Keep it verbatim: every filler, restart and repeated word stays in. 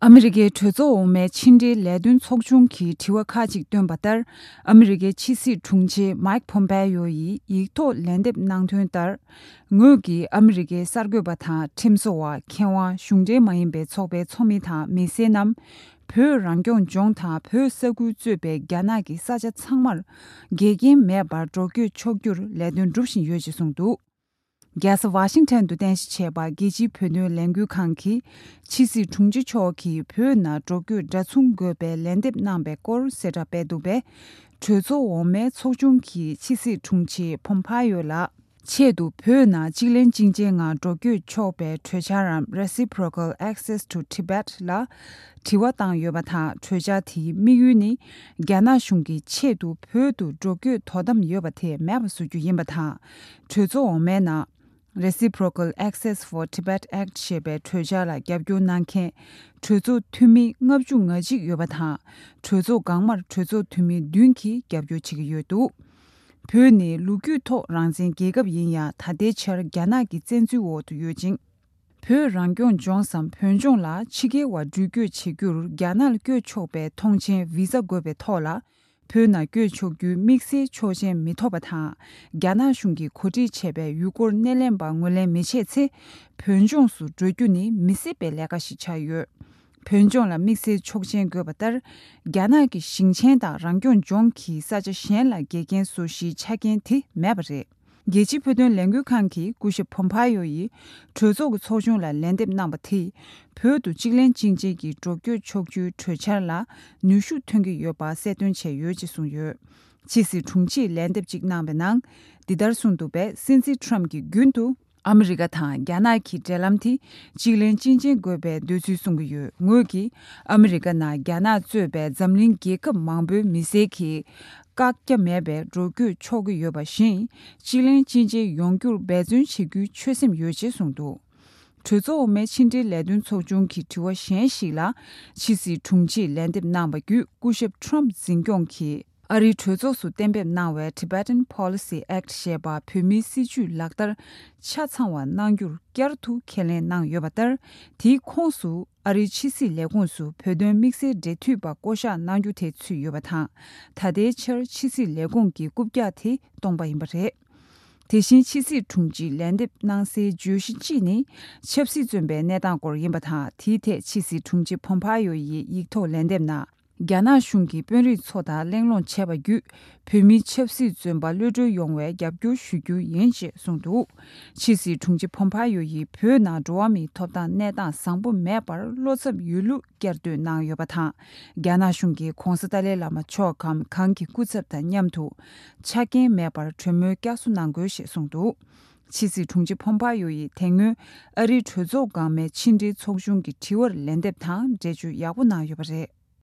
ཨ་མི་རི་ཀའི་གྲོས་ཚོགས་འོག་མའི་ཕྱི་འབྲེལ་ལས་དོན་ཚོགས་ཆུང་གིས་དྲི་བ་ཁག་ཅིག་བཏོན་པ་ལྟར། ཨ་མི་རི་ཀའི་ཕྱི་སྲིད་དྲུང་ཆེ་མཱིག་ཕོམ་པེ་ཡོ་ཡིས་ཡིག་ཐོག་ལན་འདེབས་གནང་དོན་ལྟར། ངོས་ཀྱིས་ཨ་མི་རི་ཀའི་གསར་འགོད་པ་དང་ཁྲིམས་བཟོ་བ། མཁས་དབང་། གཞུང་འབྲེལ་མ་ཡིན་པའི་ཚོགས་པའི་ཚོགས་མི་དང་མི་སེར་རྣམས། བོད་རང་སྐྱོང་ལྗོངས་དང་བོད་ས་ཁུལ་གཙོས་པའི་རྒྱ་ནག་གི་ས་ཆ་ཚང་མར་འགལ་རྐྱེན་མེད་པར་འགྲོ་སྐྱོད་ཆོག་རྒྱུར་ལས་དོན་སྒྲུབ་བཞིན་ཡོད་ཅེས་གསུངས་འདུག། རྒྱལ་ས་ཝ་ཤིང་ཊོན་དུ་རྟེན་གཞི་བྱས་པ་རྒྱལ་སྤྱིའི་བོད་དོན་ལས་འགུལ་ཁང་གིས་ཕྱི་སྲིད་དྲུང་ཆེ་མཆོག་གིས་བོད་ནང་འགྲོ་སྐྱོད་འདྲ་མཚུངས་དགོས་པའི་ལན་འདེབས་གནང་པའི་སྐོར་གསལ་བསྒྲགས་སྤེལ་འདུག་པས། གྲོས་ཚོགས་འོག་མའི་ཚོགས་ཆུང་གིས་ཕྱི་སྲིད་དྲུང་ཆེ་ཕོམ་ཕ་ཡོ་ལ་ཆེད་དུ་བོད་ནང་གཅིག་ལན་གཅིག་འབྱེད་ངང་འགྲོ་སྐྱོད་ཆོག་པའི་གྲོས་འཆར་རམ། Reciprocal Access to Tibet ལ་དྲི་བ་བཏང་ཡོད་པ་དང་། གྲོས་འཆར་དེའི་དམིགས་ཡུལ་ནི་རྒྱ་ནག་གཞུང་གིས་ཆེད་དུ་བོད་དུ་འགྲོ་སྐྱོད་དོ་དམ་ཡོད་པ་དེ་མེད་པ་བཟོ་རྒྱུ་ཡིན་པ་དང་། གྲོས་ཚོགས་འོག་མའི་ནང་། Reciprocal Access for Tibet Act ཞེས་པའི་གྲོས་འཆར་ལ་རྒྱབ་སྐྱོར་གནང་མཁན་གྲོས་ཚོགས་འཐུས་མི་ལྔ་བཅུ་ང་གཅིག་ཡོད་པ་དང་། གྲོས་ཚོགས་སྒང་མར་གྲོས་ཚོགས་འཐུས་མི་བདུན་གྱིས་རྒྱབ་སྐྱོར་བྱེད་ཀྱི་ཡོད་འདུག། བོད་ནི་ལོ་རྒྱུས་ཐོག་རང་བཙན་རྒྱལ་ཁབ་ཡིན་ཡང་། ད་ལྟའི་ཆར་རྒྱ་ནག་གི་བཙན་འཛུལ་འོག་ཏུ་ཡོད་ཅིང་། བོད་རང་སྐྱོང་ལྗོངས་སམ་བོད་ལྗོངས་ལ་ཕྱི་རྒྱལ་བ་འགྲུལ་སྐྱོད་བྱེད་རྒྱུར་རྒྱ་ནག་ལ་བསྐྱོད་ཆོག་པའི་ཐོངས་མཆན་བི་ཟ་དགོས་པའི་ཐོག་ལ། བོད་ནང་བསྐྱོད་ཆོག་རྒྱུའི་དམིགས་བསལ་ཆོག་མཆན་མི་ཐོབ་པ་དང་། རྒྱ་ནག་གཞུང་གིས་གོ་སྒྲིག་བྱས་པའི་ཡུལ་སྐོར་སྣེ་ལེན་པ་ངོས་ལེན་མི་བྱེད་ཚེ། བོད་ལྗོངས་སུ་འགྲོ་རྒྱུ་ནི་མི་སྲིད་པའི་ལས་ཀ་ཞིག་ཆགས་ཡོད། བོད་ལྗོངས་ལ་དམིགས་བསལ་ཆོག་མཆན་དགོས་པ་ལྟར། རྒྱ་ནག་གི་ཞིང་ཆེན་དང་རང་སྐྱོང་ལྗོངས་ཀྱི་ས་ཆ་གཞན་ལ་འགལ་རྐྱེན་བཟོ་གཞིའི་ཆ་རྐྱེན་དེ་མེད་པ་རེད། རྒྱལ་སྤྱིའི་བོད་དོན་ལས་འགུལ་ཁང་གི་སྐུ་ཞབས་ཕོམ་ཕ་ཡོ་ཡིས་གྲོས་ཚོགས་ཀྱི་ཚོགས་ཆུང་ལ་ལན་འདེབས་གནང་བ་དེས། བོད་དུ་གཅིག་ལན་གཅིག་འབྱེད་ཀྱི་འགྲོ་སྐྱོད་ཆོག་རྒྱུའི་གྲོས་འཆར་ལ་ནུས་ཤུགས་ཐོན་གྱི་ཡོད་པ་གསལ་སྟོན་བྱས་ཡོད་ཅེས་གསུངས་ཡོད། ཕྱི་སྲིད་དྲུང་ཆེས་ལན་འདེབས་གཅིག་གནང་བའི་ནང་། འདི་ལྟར་གསུངས་འདུག་པས། སྲིད་འཛིན་ཊརམ་གྱིས་རྒྱུན་དུ། ཨ་མི་རི་ཀ་དང་རྒྱ་ནག་གི་འབྲེལ་ལམ་དེ་གཅིག་ལན་གཅིག་འབྱེད་དགོས་པའི་འདོད་ཚུལ་གསུང་གི་ཡོད། ངོས་ཀྱིས་ཨ་མི་རི་ཀ་ནང་རྒྱ་ནག་གཙོས་པའི་འཛམ་གླིང་རྒྱལ་ཁབ་མང་པོའི་མི་སེར་གྱིས་བཀག་རྒྱ་མེད་པའི་འགྲོ་སྐྱོད་ཆོག་གི་ཡོད་པ་བཞིན། གཅིག་ལན་གཅིག་འབྱེད་ཡོང་རྒྱུར་འབད་བརྩོན་བྱེད་རྒྱུའི་ཆོད་སེམས་ཡོད་ཅེས་གསུངས་འདུག། གྲོས་ཚོགས་འོག་མའི་ཕྱི་འབྲེལ་ལས་དོན་ཚོགས་ཆུང་གི་དྲི་བ་གཞན་ཞིག་ལ། ཕྱི་སྲིད་དྲུང་ཆེས་ལན་འདེབས་གནང་བ་བརྒྱུད། སྐུ་ཞབས་ཊརམ་འཛིན་སྐྱོང་གིས། ཨ་རིའི་གྲོས་ཚོགས་སུ་གཏན་འབེབས་གནང་བའི་Tibetan Policy Act ཞེས་པ་བོད་མིའི་སྲིད་བྱུས་ལག་བསྟར་ཆ་ཚང་བ་གནང་རྒྱུར་བསྐྱར་དུ་ཁས་ལེན་གནང་ཡོད་པ་ལྟར། དེའི་ཁོངས་སུ་ཨ་རིའི་ཕྱི་སྲིད་ལས་ཁུངས་སུ་བོད་དོན་དམིགས་བསལ་འབྲེལ་མཐུད་པ་བསྐོ་གཞག་གནང་རྒྱུ་དེ་ཚུད་ཡོད་པ་དང་། ད་ལྟའི་ཆར་ཕྱི་སྲིད་ལས་ཁུངས་ཀྱི་རྐུབ་བཀྱག་དེ་སྟོང་པ་ཡིན་པ་རེད། དེ་བཞིན་ཕྱི་སྲིད་དྲུང་ཆེས་ལན་འདེབས་གནང་སའི་བརྗོད་གཞི་གཅིག་ནི། ཆབ་སྲིད་བཙོན་པའི་གནས་སྟངས་སྐོར་ཡིན་པ་དང་། དེའི་ཐད་ཕྱི་སྲིད་དྲུང་ཆེ་ཕོམ་ཕ་ཡོ་ཡིས་ཡིག་ཐོག་ལན་འདེབས་ནང་། རྒྱ་ནག་གཞུང་གིས་དཔོན་རིགས་ཚོ་དང་གླེང་སློང་བྱས་པ་བརྒྱུད། བོད་མིའི་ཆབ་སྲིད་བཙོན་པ་གློད་གྲོལ་ཡོང་བའི་རྒྱབ་སྐྱོར་ཞུ་རྒྱུ་ཡིན་ཞེས་གསུངས་འདུག། ཕྱི་སྲིད་དྲུང་ཆེ་ཕོམ་ཕ་ཡོ་ཡིས་བོད་ནང་འགྲོ་བ་མིའི་ཐོབ་ཐང་གནས་སྟངས་བཟང་པོ་མེད་པར་བློ་འཚབ་ཡོད་ལུགས་བསྐྱར་ཟློས་གནང་ཡོད་པ་དང་། རྒྱ་ནག་གཞུང་གིས་༧གོང་ས་ཏཱ་ལའི་བླ་མ་མཆོག་གམ་གང་གི་སྐུ་ཚབ་དང་མཉམ་དུ་ཆ་རྐྱེན་མེད་པར་གྲོས་མོལ་བསྐྱར་གསོ་གནང་དགོས་ཞེས་གསུངས་འདུག། ཕྱི་སྲིད་དྲུང་ཆེ་ཕོམ་ཕ་ཡོ་ཡིས་དེ་སྔོན་ཨ་རིའི་གྲོས་ཚོགས་སྒང་མའི་ཕྱི་འབྲེལ་ཚོགས་ཆུང་གི་དྲི་བར་ལན་འདེབས་དང་འགྲེལ་བརྗོད་ཡག་པོ་གནང་ཡོད་པ་རེད།